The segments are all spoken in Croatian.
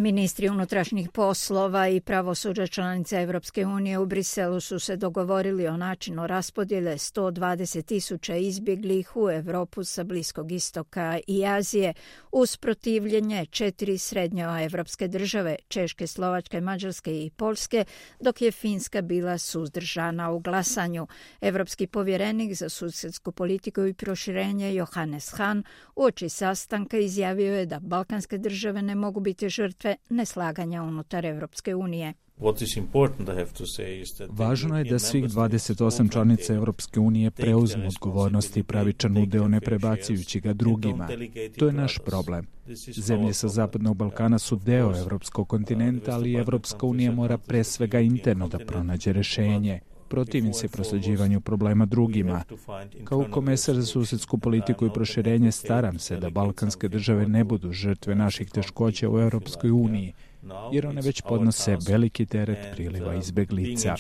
Ministri unutrašnjih poslova i pravosuđa članica Evropske unije u Briselu su se dogovorili o načinu raspodjele 120.000 izbjeglih u Europu sa Bliskog istoka i Azije uz protivljenje 4 srednjoevropske države, Češke, Slovačke, Mađarske i Poljske, dok je Finska bila suzdržana u glasanju. Evropski povjerenik za susjedsku politiku i proširenje Johannes Hahn uoči sastanka izjavio je da balkanske države ne mogu biti žrtve neslaganja unutar Evropske unije. Važno je da svih 28 članica Evropske unije preuzmu odgovornost i pravičan udeo ne prebacujući ga drugima. To je naš problem. Zemlje sa Zapadnog Balkana su deo Evropskog kontinenta, ali Evropska unija mora pre svega interno da pronađe rešenje. Protivim se prosleđivanju problema drugima. Kao komesar za susjedsku politiku i proširenje staram se da balkanske države ne budu žrtve naših teškoća u Europskoj uniji, jer one već podnose veliki teret priliva izbeglica.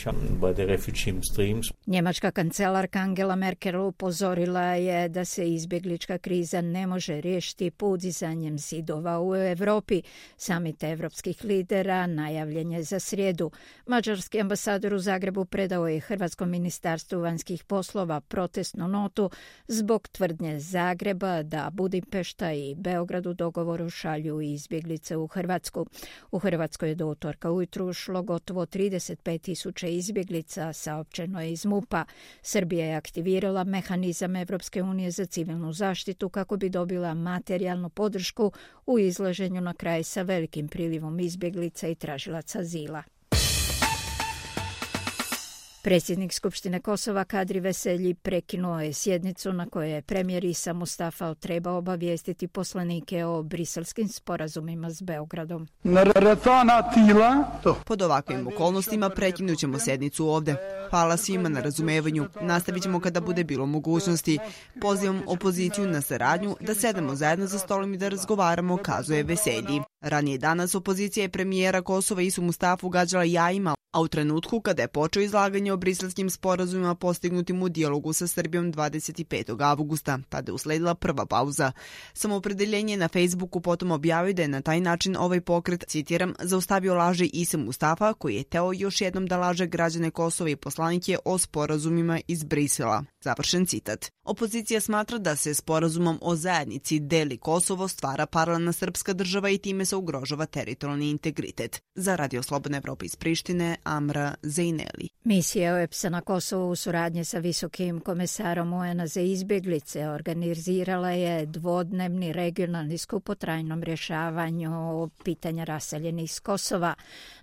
Njemačka kancelarka Angela Merkel upozorila je da se izbjeglička kriza ne može riješiti podizanjem zidova u Europi. Samit evropskih lidera najavljen je za srijedu. Mađarski ambasador u Zagrebu predao je Hrvatskom ministarstvu vanjskih poslova protestnu notu zbog tvrdnje Zagreba da Budimpešta i Beograd u dogovoru šalju izbjeglice u Hrvatsku. U Hrvatskoj je do utorka ujutru ušlo gotovo 35.000 izbjeglica, saopćeno je iz MUP-a. Srbija je aktivirala mehanizam Evropske unije za civilnu zaštitu kako bi dobila materijalnu podršku u izlaženju na kraj sa velikim prilivom izbjeglica i tražilaca azila. Predsjednik Skupštine Kosova Kadri Veselji prekinuo je sjednicu na kojoj je premijer Isa Mustafa trebao obavijestiti poslanike o briselskim sporazumima s Beogradom. Pod ovakvim okolnostima prekinut ćemo sjednicu ovdje. Hvala svima na razumevanju. Nastavit ćemo kada bude bilo mogućnosti. Pozivam opoziciju na saradnju da sedemo zajedno za stolom i da razgovaramo, kazuje Veselji. Ranije danas opozicija je premijera Kosova Isu Mustafu gađala jajima, a u trenutku kada je počeo izlaganje o briselskim sporazumima postignutim u dijalogu sa Srbijom 25. avgusta, tada je usledila prva pauza. Samoopredeljenje na Facebooku potom objavio da je na taj način ovaj pokret, citiram, zaustavio laže Ise Mustafa, koji je teo još jednom da laže građane Kosova i poslanike o sporazumima iz Brisela. Završen citat. Opozicija smatra da se sporazumom o zajednici deli Kosovo, stvara paralelna srpska država i time se ugrožava teritorijalni integritet. Za Radio Slobodna Evropa iz Prištine, Amra Zejneli. Misija OEBS-a na Kosovu u suradnji sa visokim komesarom UN-a za izbjeglice organizirala je dvodnevni regionalni skup o trajnom rješavanju pitanja raseljenih iz Kosova.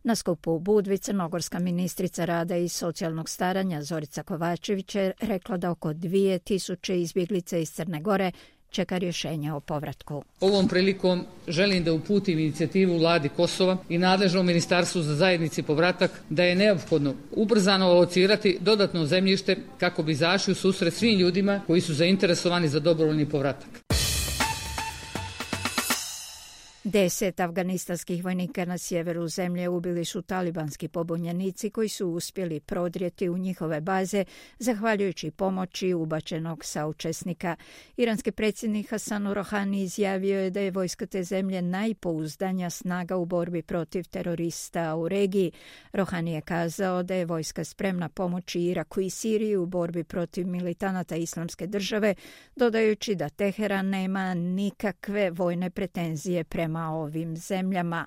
Na skupu u Budvi crnogorska ministrica rada i socijalnog staranja Zorica Kovačević je rekla da oko 2000 izbjeglica iz Crne Gore čeka rješenje o povratku. Ovom prilikom želim da uputim inicijativu vladi Kosova i nadležnom ministarstvu za zajednici povratak da je neophodno ubrzano alocirati dodatno zemljište kako bi izašli u susret svim ljudima koji su zainteresovani za dobrovoljni povratak. 10 afganistanskih vojnika na sjeveru zemlje ubili su talibanski pobunjenici koji su uspjeli prodrijeti u njihove baze zahvaljujući pomoći ubačenog saučesnika. Iranski predsjednik Hasan Rohani izjavio je da je vojska te zemlje najpouzdanija snaga u borbi protiv terorista u regiji. Rohani je kazao da je vojska spremna pomoći Iraku i Siriji u borbi protiv militanata Islamske države, dodajući da Teheran nema nikakve vojne pretenzije prema ovim zemljama.